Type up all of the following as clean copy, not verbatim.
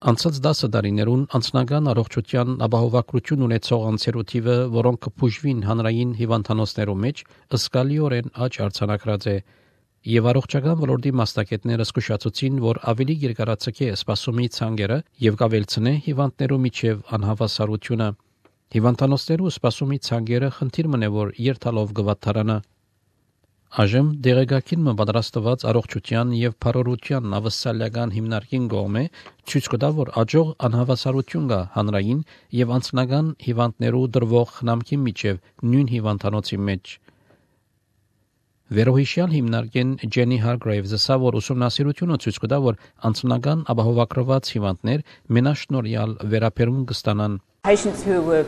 Անցած 10 տարիներուն անձնական առողջության ապահովագրություն ունեցող անձերու թիվը, որոնք կփուժվին հանրային հիվանդանոցներու մեջ, զգալիորեն աճ արձանագրած է, եւ առողջական ոլորտի մասնագետները զգուշացուցին, որ ավելի երկարացկե սպասումի ցանկերը եւ կավելցնե հիվանդներու միջև անհավասարությունը։ Հիվանդանոցներու սպասումի ցանկերը խնդիր մնե, որ երթալով գվաթարանը։ Այժմ դեղեկագին պատրաստված առողջության եւ փառորության ավսալական հիմնարկին կողմէ ցույց կտա, որ աջող անհավասարություն կա հանրային եւ անձնական հիվանդներու դրվող խնամքի միջև նույն հիվանդանոցի մեջ։ Վերոհիշյալ հիմնարկեն Ջենի Հարգրեյվզը ասա, որ ուսումնասիրությունը ցույց կտա, որ անձնական ապահովագրված հիվանդներ մենաշնորհյալ վերաբերում կստանան։ Patients who were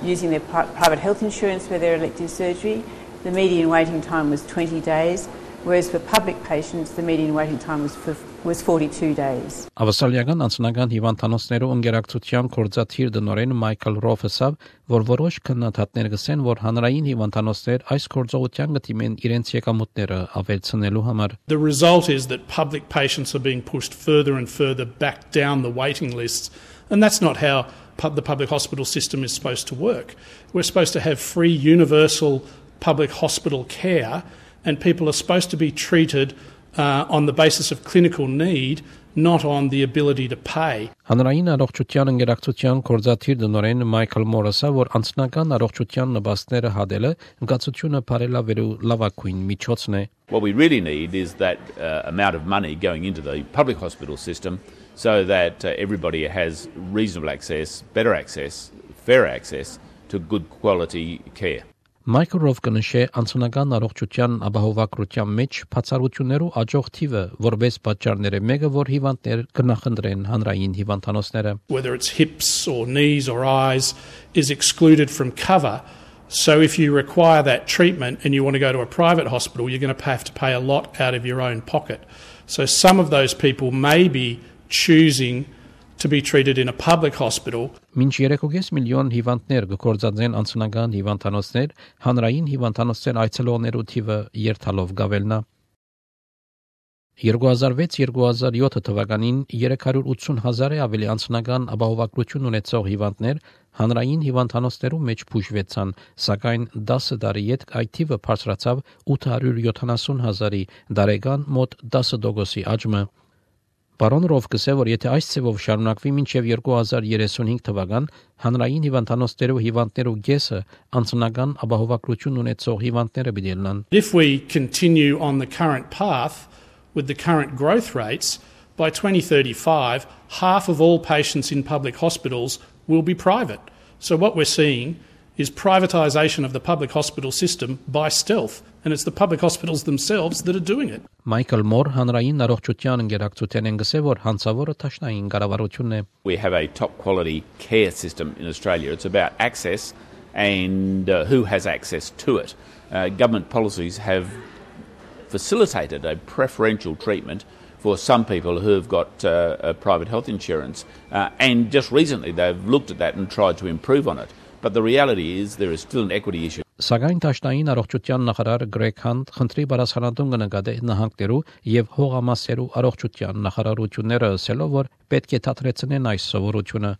using their private health insurance for their elective surgery, the median waiting time was 20 days, whereas for public patients, the median waiting time was 42 days. Ավասալիական անձնական հիվանդանոցներու ընկերակցության կորզաթիր դնորեն Մայքլ Ռոֆեսը, որ որոշ քննադատներ գսեն, որ հանրային հիվանդանոցներ այս կորզողության գտիմեն իրենց եկամուտները ավելցնելու համար. The result is that public patients are being pushed further and further back down the waiting lists, and that's not how the public hospital system is supposed to work. We're supposed to have free, universal public hospital care, and people are supposed to be treated on the basis of clinical need, not on the ability to pay. Հանրային առողջության ընկերակցության կորզաթիր դնորեն Մայքլ Մորսը, որ անձնական առողջության նպաստները հադելը ընկացությունը բարելավելու լավագույն միջոցն է. What we really need is that amount of money going into the public hospital system so that everybody has reasonable access, better access, fair access to good quality care. Մայքլ Ռոֆը նշե անձնական առողջության ապահովագրության մեջ բացառություններու աջող թիվը որպես պատճառները մեկը, որ հիվանդներ կնախընտրեն հանրային հիվանդանոցները. Whether it's hips or knees or eyes is excluded from cover. So if you require that treatment and you want to go to a private hospital, you're going to have to pay a lot out of your own pocket. So some of those people may be choosing to be treated in a public hospital. Մինչ 3.5 միլիոն հիվանդներ կգործածեն անձնական հիվանդանոցներ, հանրային հիվանդանոցներ այցելողներու թիվը երթալով գավելնա։ 2006-2007 թվականին 380,000 ավելի անձնական ապահովագրություն ունեցող հիվանդներ հանրային հիվանդանոցներու մեջ բուժվեցան, սակայն 10 տարի հետ այդ թիվը բարձրացավ 870,000-ի, դարեկան մոտ 10% աճը։ Պարոն Ռովկսը, որ եթե այս ծավալով շարունակվի մինչև 2035 թվական, հանրային հիվանդանոցներու հիվանդներու գեսը անձնական ապահովագրություն ունեցող հիվանդները բիդելնան. If we continue on the current path with the current growth rates, by 2035, half of all patients in public hospitals will be private. So what we're seeing is privatisation of the public hospital system by stealth, and it's the public hospitals themselves that are doing it. Մայքլ Մոր հանրային առողջության ընկերակցության ընկսե, որ հանցավորը տաշնային կառավարությունն է. We have a top quality care system in Australia. It's about access and who has access to it. Government policies have facilitated a preferential treatment for some people who have got private health insurance, and just recently they've looked at that and tried to improve on it. But the reality is there is still an equity issue. Սակայն տաշնային առողջության նախարար Գրեգ Հանտ խնդրի բարձրանալուն կնկատի նահանգներու եւ հողամասերու առողջության նախարարությունները ասելով, որ պետք է դադարեցնեն այս սովորությունը.